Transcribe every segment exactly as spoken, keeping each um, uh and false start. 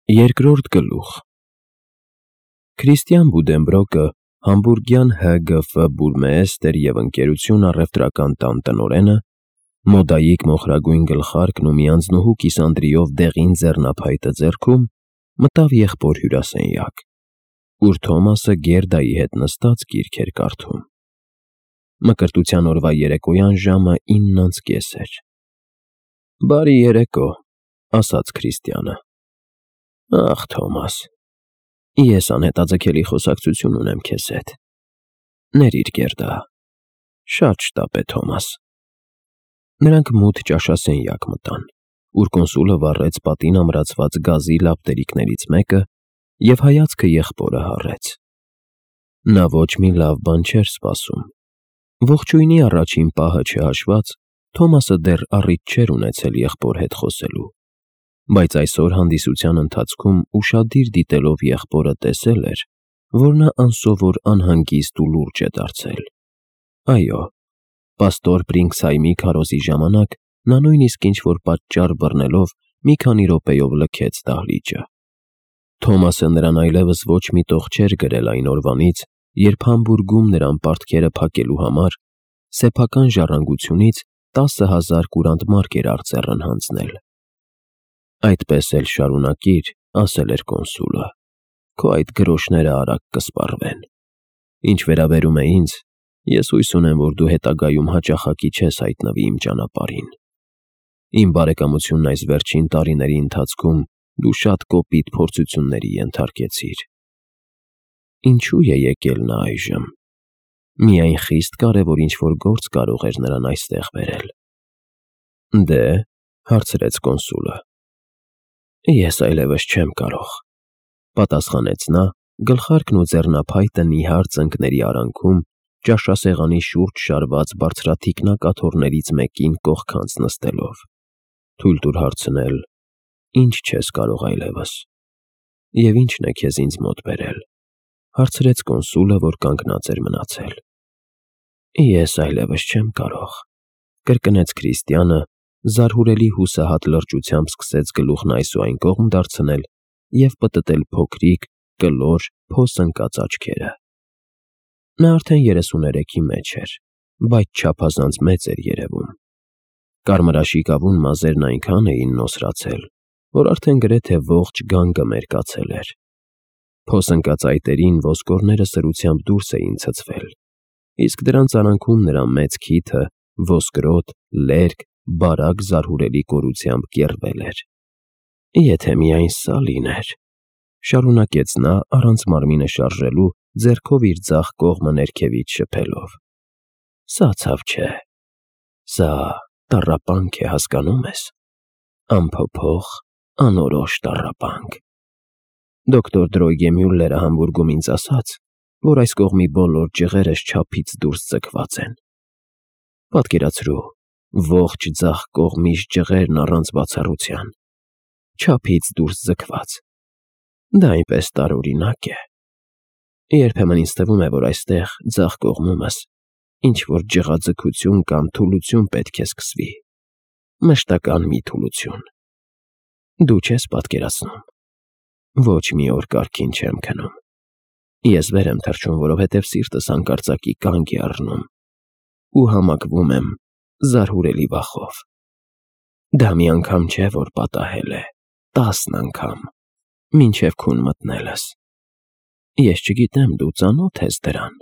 Երկրորդ գլուխ Քրիստիան Բուդենբրոկը համբուրգյան Հ Գ Ֆ Բուրմեեստեր և ընկերություն առևտրական տան տնօրենը, մոդայիկ մոխրագույն գլխարկն ու մի անձնուհու կիսանդրիով դեղին ձեռնափայտը ձեռքում, մտավ եղբոր հյուրասենյակ, ուր Թոմասը Գերդայի հետ նստած գիրք էր կարդում։ Մկրտության օրվա երեկոյան ժամը ինն անց կես էր։ «Բարի երեկո», ասաց Քրիստիանը։ «Ախ, Թոմաս, ես անհետաձգելի խոսակցություն ունեմ քեզ հետ։ Ներիր Գերդա, շատ շտապ է, Թոմաս»։ Նրանք մութ ճաշասենյակ մտան, ուր կոնսուլը վառեց պատին ամրացված գազի լապտերիկներից մեկը և հայացքը եղբորը հառեց։ Նա ոչ մի լավ բան չէր սպասում։ Ողջույնի առաջին պահը չհաշված, Թոմասը դեռ առիթ չէր ունեցել եղբոր հետ խոսելու, բայց այսօր հանդիսության ընթացքում ուշադիր դիտելով եղբորը տեսել էր, որ նա անսովոր անհանգիստ ու լուրջ է դարձել։ Այո, պաստոր Բրինքսհայմի քարոզի ժամանակ նա նույնիսկ ինչ-որ պատճառ բռնելով մի քանի րոպեով լքեց դահլիճը։ Թոմասը նրան այլևս ոչ մի տող չէր գրել այն օրվանից, երբ Համբուրգում նրան պարտքերը փակելու համար սեփական ժառանգությունից տասը հազար կուրանտ մարկ էր արծեռն հանձնել։ «Այդպես էլ շարունակիր», ասել էր կոնսուլը, «քո այդ գրոշները արագ կսպառվեն։ Ինչ վերաբերում է ինձ, ես հույս ունեմ, որ դու հետագայում հաճախակի չես հայտնվի իմ ճանապարհին։ Իմ բարեկամությունն այս վերջին տարիների ընթացքում դու շատ կոպիտ փորձությունների ենթարկեցիր։ Ինչու է եկել նա այժմ։ Միայն խիստ կարևոր ինչ-որ գործ կարող էր նրան այստեղ բերել»։ «Դե՞, հարցրեց կոնսուլը։ «Ես այլևս չեմ կարող», պատասխանեց նա, գլխարկն ու ձեռնափայտը նիհար ծնկների արանքում ճաշասեղանի շուրջ շարված բարձրաթիկնակաթոռներից մեկին կողքանց նստելով։ «Թույլ տուր հարցնել, ի՞նչ չես կարող այլևս։ Եվ ի՞նչն է քեզ ինձ մոտ բերել», հարցրեց կոնսուլը, որ կանգնած էր մնացել։ «Ես այլևս չեմ կարող», կրկնեց Քրիստիանը, զարհուրելի հուսահատ լրջությամբ սկսեց գլուխն այս ու այն կողմ դարձնել և պտտել փոքրիկ, կլոր, փոս ընկած աչքերը։ Նա արդեն երեսուներեքի մեջ էր, բայց չափազանց մեծ էր երևում։ Կարմրաշիկավուն մազերն այնքան էին նոսրացել, որ արդեն գրեթե ողջ գանգը մերկացել էր։ Փոս ընկած այտերին ոսկորները սրությամբ դուրս էին ցցվել, իսկ դրանց արանքում նրա մեծ քիթը ոսկրոտ, լերկ, բարակ զարհուրելի կորությամբ կեռվել էր։ «Եթե միայն սա լիներ», շարունակեց նա առանց մարմինը շարժելու, ձեռքով իր ձախ կողմը ներքևից շփելով։ «Սա ցավ չէ։ Սա տառապանք է, հասկանո՞ւմ ես։ Անփոփոխ, անորոշ տառապանք։ Դոկտոր Դրոյգեմյուլլերը Համբուրգում ինձ ասաց, որ այս կողմի բոլոր ջղերս չափից դուրս ձգված են։ Պատկերացրու, ողջ ձախ կողմիս ջղերն առանց բացառության, չափից դուրս ձգված։ Դա այնպես տարօրինակ է։ Երբեմն ինձ թվում է, որ այստեղ, ձախ կողմումս, ինչ-որ ջղաձգություն կամ թուլություն պետք է սկսվի, մշտական մի թուլություն։ Դու չես պատկերացնում։ Ոչ մի օր կարգին չեմ քնում։ Ես վեր եմ թռչում, որովհետև սիրտս հանկարծակի կանգ է առնում ու համակվում եմ զարհուրելի վախով։ Դա մի անգամ չէ, որ պատահել է, տասն անգամ, մինչև քուն մտնելս։ Ես չգիտեմ, դու ծանո՞թ ես դրան։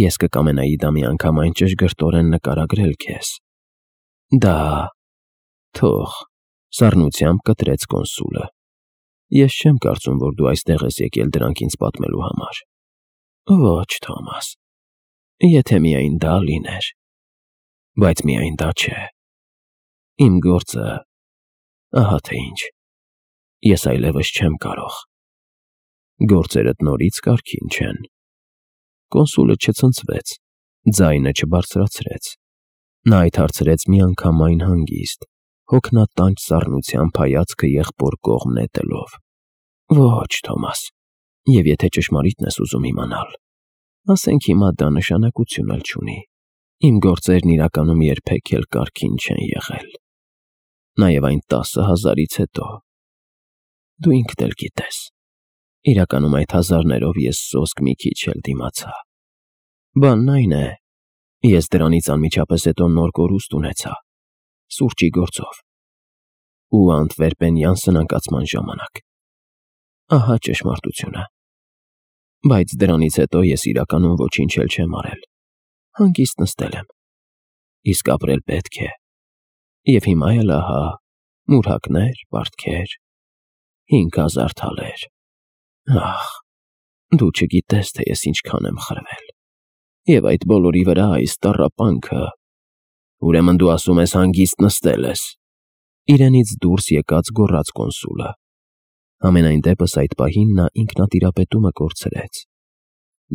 Ես կկամենայի դա մի անգամ այն ճշգրտորեն նկարագրել քեզ։ Դա… Թող, սառնությամբ կտրեց կոնսուլը։ Ես չեմ կարծում, որ դու այստեղ ես եկել դրանք ինձ պատմելու համար։ Ոչ, Թոմաս, եթե միայն դա լիներ։ Բայց միայն դա չէ։ Իմ գործը… ահա թե ինչ։ Ես այլևս չեմ կարող։ Գործերդ նորից կարգին չեն։ Կոնսուլը չցնցվեց, ձայնը չբարձրացրեց։ Նա այդ հարցրեց միանգամայն հանգիստ, հոգնատանջ սառնությամբ հայացքը եղբոր կողմ նետելով։ Ոչ, Թոմաս, և եթե ճշմարիտն ես ուզում իմանալ, ասենք հիմա դա նշանակություն էլ չունի։ Իմ գործերն իրականում երբեք էլ կարգին չեն եղել։ Նաև այն տասը հազարից հետո։ Դու ինքդ էլ գիտես։ Իրականում այդ հազարներով ես սոսկ մի քիչ էլ դիմացա։ Բանն այն է, ես դրանից անմիջապես հետո նոր կորուստ ունեցա, սուրճի գործով, ու անտվերպենյան սնանկացման ժամանակ։ Ահա ճշմարտությունը։ Բայց դրանից հետո ես իրականում ոչինչ էլ չեմ արել, հանգիստ նստել եմ, իսկ ապրել պետք է, և հիմա էլ ահա մուրհակներ, պարտքեր, հինգ հազար թալեր, ախ, դու չգիտես, թե ես ինչքան եմ խրվել, և այդ բոլորի վրա այս տառապանքը, ուրեմն դու ասում ես հանգիստ նստել ես, իրենից դուրս եկած գոռաց կոնսուլը, համենայն դեպս այդ պահին նա ինքնատիրապետումը կորցրեց,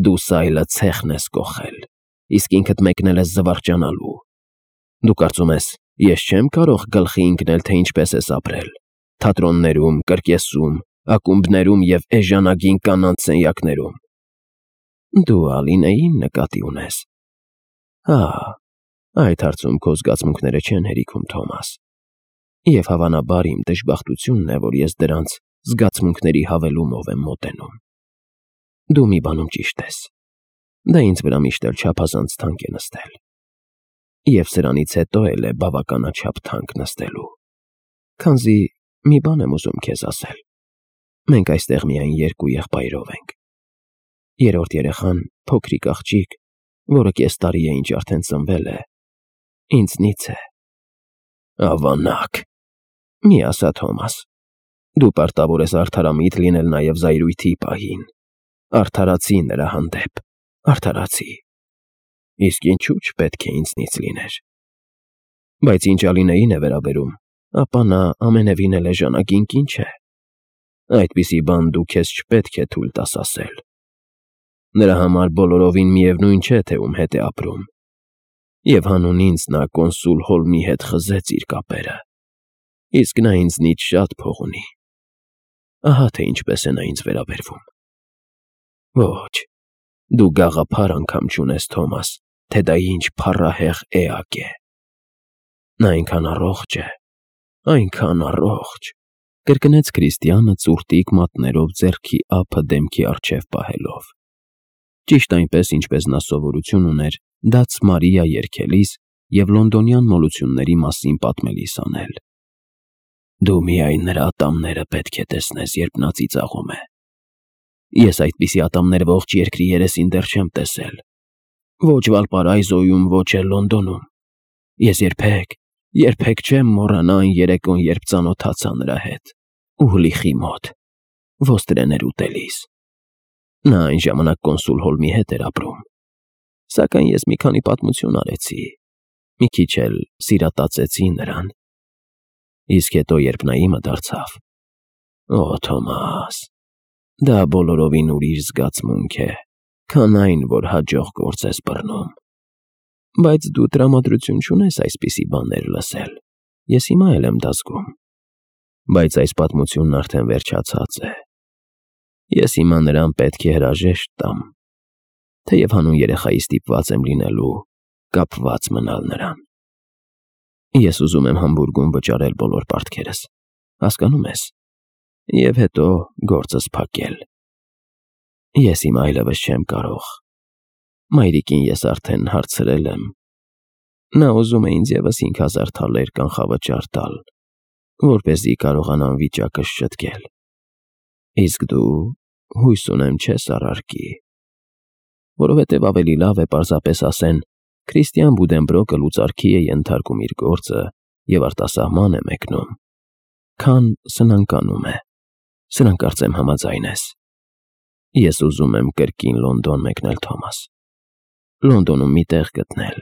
դու սայլը ցեխն ես կոխել, իսկ ինքդ մեկնել ես զվարճանալու, դու կարծում ես, ես չեմ կարող գլխի ընկնել, թե ինչպես ես ապրել, թատրոններում, կրկեսում, ակումբներում և էժանագին կանանց սենյակներում, դու Ալինեին նկատի ունես, հա, այդ հարցում քո զգացմունքները չեն հերիքում, Թոմաս, և հավանաբար իմ դժբախտությունն է, որ ես դրանց զգացմունքների հավելումով եմ մոտենում, դու մի բանում ճիշտ ես, դա ինձ վրա միշտ էլ չափազանց թանկ է նստել, և սրանից հետո էլ է բավականաչափ թանկ նստելու, քանզի մի բան եմ ուզում քեզ ասել, մենք այստեղ միայն երկու եղբայրով ենք, երրորդ երեխան, փոքրիկ աղջիկ, որը կես տարի է ինչ արդեն ծնվել է, ինձնից է, ավանակ, մի ասա Թոմաս, դու պարտավոր ես արդարամիտ լինել նաև զայրույթի պահին, արդարացի նրա հանդեպ, արդարացի, իսկ ինչու չպետք է ինձնից լիներ, բայց ինչ Ալինեին է վերաբերում, ապա նա ամենևին էլ էժանագին կին չէ, այդպիսի բան դու քեզ չպետք է թույլ տաս ասել, նրա համար բոլորովին միևնույն չէ, թե ում հետ է ապրում, և հանուն ինձ նա կոնսուլ Հոլմի հետ խզեց իր կապերը, իսկ նա ինձնից շատ փող ունի, ահա թե ինչպես է նա ինձ վերաբերվում, ոչ, դու գաղափար անգամ չունես, Թոմաս, թե դա ինչ փառահեղ էակ է, նա այնքան առողջ է, այնքան առողջ, կրկնեց Քրիստիանը ծուրտիկ մատներով ձեռքի ափը դեմքի առջև պահելով, ճիշտ այնպես, ինչպես նա սովորություն ուներ Դաց Մարիա երգելիս և լոնդոնյան մոլությունների մասին պատմելիս անել, դու միայն նրա ատամները պետք է տեսնես, երբ նա ծիծաղում է, ես այդպիսի ատամներ ողջ երկրի երեսին դեռ չեմ տեսել, ոչ Վալպարայզոյում, ոչ էլ Լոնդոնում, ես երբեք, երբեք չեմ մոռանա այն երեկոն, երբ ծանոթացա նրա հետ, Ուհլիխի մոտ, ոստրեներ ուտելիս, նա այն ժամանակ կոնսուլ Հոլմի հետ էր ապրում, սակայն ես մի քանի պատմություն արեցի, մի քիչ էլ սիրատացեցի նրան, իսկ հետո երբ նա իմը դարձավ, օ, Թոմաս, դա բոլորովին ուրիշ զգացմունք է, քան այն, որ հաջող գործ ես բռնում, բայց դու տրամադրություն չունես այսպիսի բաներ լսել, ես հիմա էլ եմ դա զգում, բայց այս պատմությունն արդեն վերջացած է, ես հիմա նրան պետք է հրաժեշտ տամ, թեև հանուն երեխայի ստիպված եմ լինելու կապված մնալ նրան, ես ուզում եմ Համբուրգում վճարել բոլոր պարտքերս, հասկանում ես, և հետո գործս փակել, ես հիմա այլևս չեմ կարող, մայրիկին ես արդեն հարցրել եմ, նա ուզում է ինձ ևս հինգ հազար թալեր կանխավճար տալ, որպեսզի կարողանամ վիճակս շտկել, իսկ դու հույս ունեմ չես առարկի, որովհետև ավելի լավ է պարզապես ասեն Քրիստիան Բուդենբրոկը լուծարքի է ենթարկում իր գործը և արտասահման է մեկնում, քան սնանկանում է, սրանք կարծեմ համաձայն ես, ես ուզում եմ կրկին Լոնդոն մեկնել, Թոմաս, Լոնդոնում մի տեղ գտնել,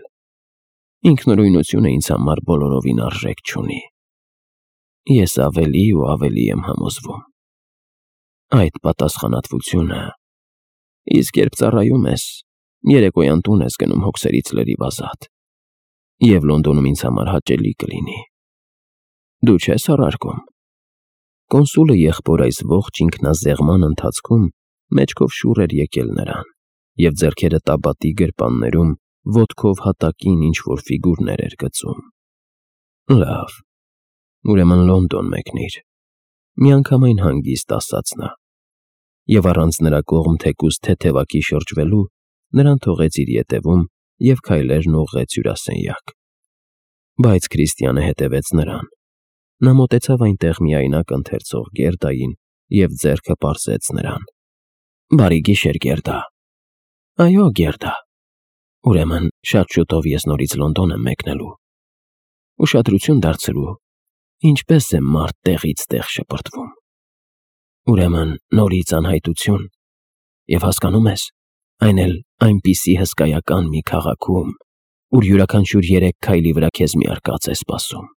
ինքնուրույնությունը ինձ համար բոլորովին արժեք չունի, ես ավելի ու ավելի եմ համոզվում, այդ պատասխանատվությունը, իսկ երբ ծառայում ես, երեկոյան տուն ես գնում հոգսերից լրիվ ազատ, և Լոնդոնում ինձ համար հաճելի կլինի, դու չես առարկում, կոնսուլը եղբոր այս ողջ ինքնազեղման ընթացքում մեջքով շուռ էր եկել նրան, և ձեռքերը տաբատի գրպաններում ոտքով հատակին ինչ-որ ֆիգուրներ էր գծում, լավ, ուրեմն Լոնդոն մեկնիր, Միանգամայն հանգիստ ասաց նա, և առանց նրա կողմ թեկուզ թեթևակի շրջվելու, նրան թողեց իր ետևում և քայլերն ուղղեց հյուրասենյակ։ Բայց Քրիստիանը հետևեց նրան։ Նա մոտեցավ այնտեղ միայնակ ընթերցող Գերդային և ձեռքը պարզեց նրան։ ֊ Բարի գիշեր, Գերդա։ ֊ Այո, Գերդա։ Ուրեմն շատ շուտով ես նորից Լոնդոն եմ մեկնելու։ Ուշադրություն դարձրու, ինչպես է մարդ տեղից տեղ շպրտվում։ Ուրեմն նորից անհայտություն, և հասկանո՞ւմ ես, այն էլ այնպիսի հսկայական մի քաղաքում, ուր յուրաքանչյուր երեք քայլի վրա քեզ մի արկած է սպասում,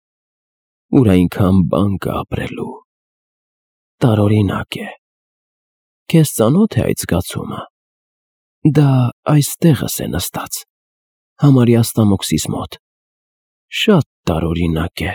ուր այնքան բան կա ապրելու։ Տարօրինակ է։ Քեզ ծանո՞թ է այդ զգացումը։ Դա այստեղս է նստած, համարյա ստամոքսիս մոտ։ Շատ տարօրինակ է։